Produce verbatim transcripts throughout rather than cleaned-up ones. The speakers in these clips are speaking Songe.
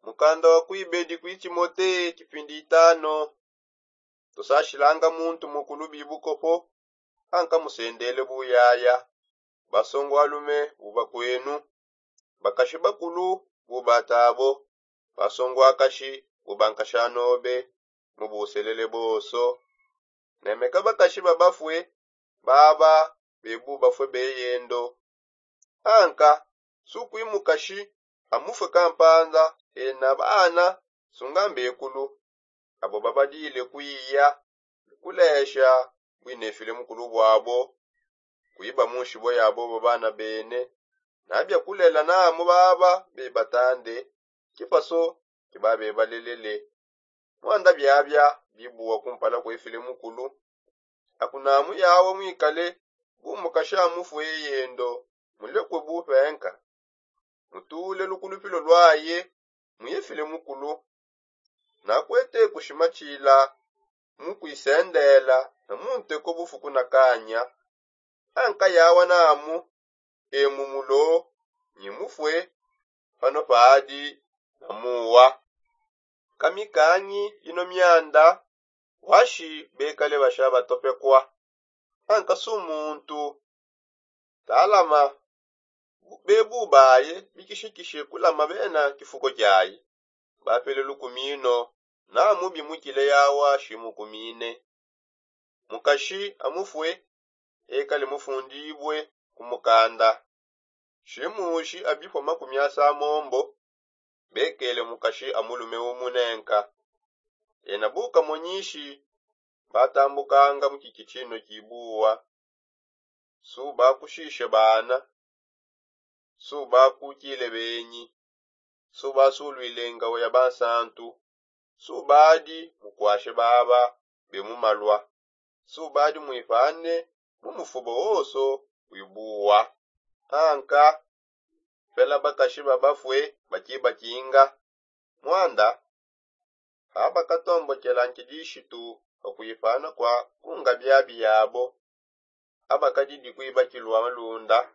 Mukanda wa kuibedi kui timote kipindi itano. Tusashilanga muntu mukulu bibukopo anka musendele buyaya. Basongo alume bubakwenu, bakashi bakulu bubatabo, basongo akashi bubankashanobe, mubuselele boso. Nemeka bakashi babafue baba, bebu bafue beyendo. Anka sukui mukashi amufue kampanda ena bana sunga mbekulu, abo babadile kuiya kulesha buinefile mukulu buabo, kuiba munshibo yabo babana bene. Nabia kulela namu baba bebatande kipaso kibabebalelele. Muanda biabia bibuwa kumpala kuefile mukulu. Akunamu yawa muikale bu mukashi amufue yendo, mulekue bupenka, mutule lukulupilo luaye muyefile mukulu. Nakuete kushimatshila mukuisendela na munteko bufuku na kanya. Anka yawa namu emu mulo nyimufue pano padi na muwa. Kamikanyi ino mianda washi bekale basha batopekwa. Anka su muntu talama bebu baye bikishikishe kulama bena kifuko kyaye. Bapele lukumino namu bimukile yawa shimukumine. Mukashi amufue ekale mufundibue ku mukanda. Shimushi abifua makumi asa mombo bekele mukashi amulume umunenka. Ena bukamonyishi batambukanga mu kikitshino kibuwa. Subakushishe bana, subakukile benyi, subasuluile ngawa ya bansantu, subadi mukwashe baba be mumalua, subadi muipane mu mufuba wonso wibuwa. Anka pela bakashi babafue bakibakinga. Muanda abakatombokela nkidishitu pa kuipana kua kunga biabi yabo, abakadidi kuibakilua malunda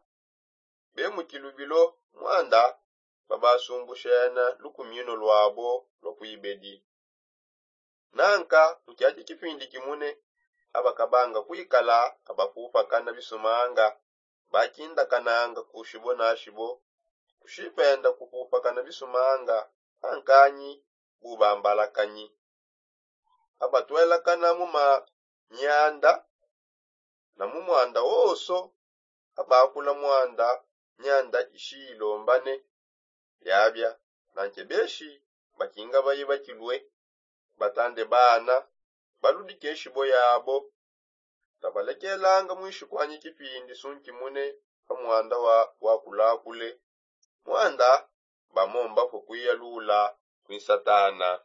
be mu kilubilo muanda babasumbushena lukumino luabo lua kuibedi. Nanka mu kiadi kipindi kimune abakabanga kuikala abapupakana bisumanga bakindakananga ku shibo na shibo kushipenda kupupakana bisumanga ankanyi bubambalakanyi. Abatuelakana mu ma mianda na mu muanda wonso abakula muanda mianda ishilombane. Biabia nanke beshi bakinga baye bakilue batande bana baludike shibo yabo. Tabalekelanga muishi kuanyi kipindi sunkimune pa muanda wa wakulakule muanda bamomba kue kuiyalula kwi satana.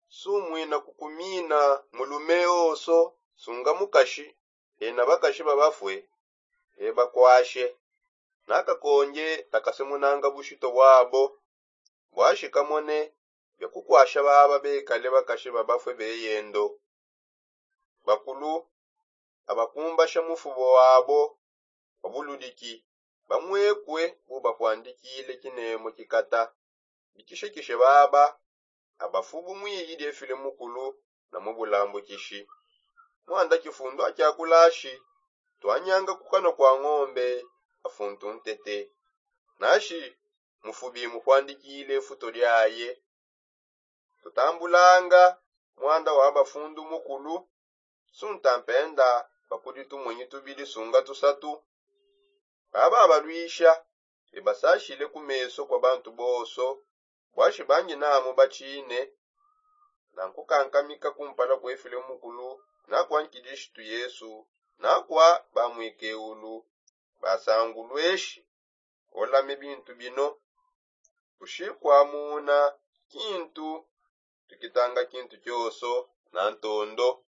Sumuina kukumina mulume oso sunga mukashi ena bakashi babafue ebakwashe. Nakakonje takasemunanga bushito bwabo bwashikamone bia kukwasha baba bekale bakashi babafue beyendo. Bakulu abakumbasha mufubo wabo wa buludiki bamuekue bubakuandikile kinemo kikata bikishekishe baba abafubu muiyi diefile mukulu na mu bulambukishi. Muanda kifundu akiakulashi tuanyanga ku kanua kua ngombe afuntu ntete nashi mufubi mukuandikile futo diaye. Tutambulanga muanda wa bafundu mukulu sunta mpenda bakudi tumonyi tubidi sunga tusatu. Baba abaluisha bebasashile ku meso kua bantu bonso bwashi bangi namu batshine na nkukankamika kumpala kuefile mukulu na kua nkidishitu yesu na kua bamuikeulu basangulueshi. Olame bintu bino kushikua muna kintu tukitanga kintu kioso na ntondo.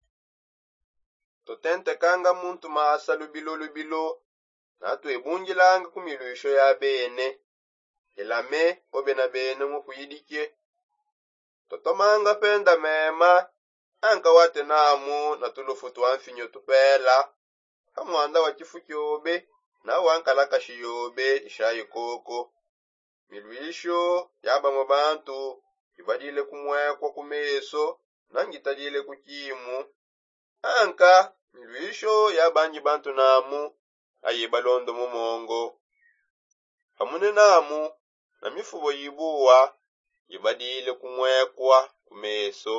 Tutentekanga muntu masa lubilo lubilo na tuebungilanga ku miluisho ya bene. Elame obe na bene mukuidike. Tutomanga penda mema anka wate namu na tulufu tua mfinyo tupela pa muanda wa kifu kiobe na wa nkalakashi yobe ishayi koko. Miluisho ya bamue bantu ibadile kumwekwa ku meso, na ngitadile ku kimu. Anka nluisho ya bangi bantu namu, aye balondo mu mongo. Pamune namu na mifubo yibuwa, ngibadile kumwekwa ku meso.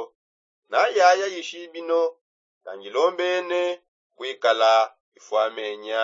Na yaya yishi bino, kangilombene kwikala ifwamenya.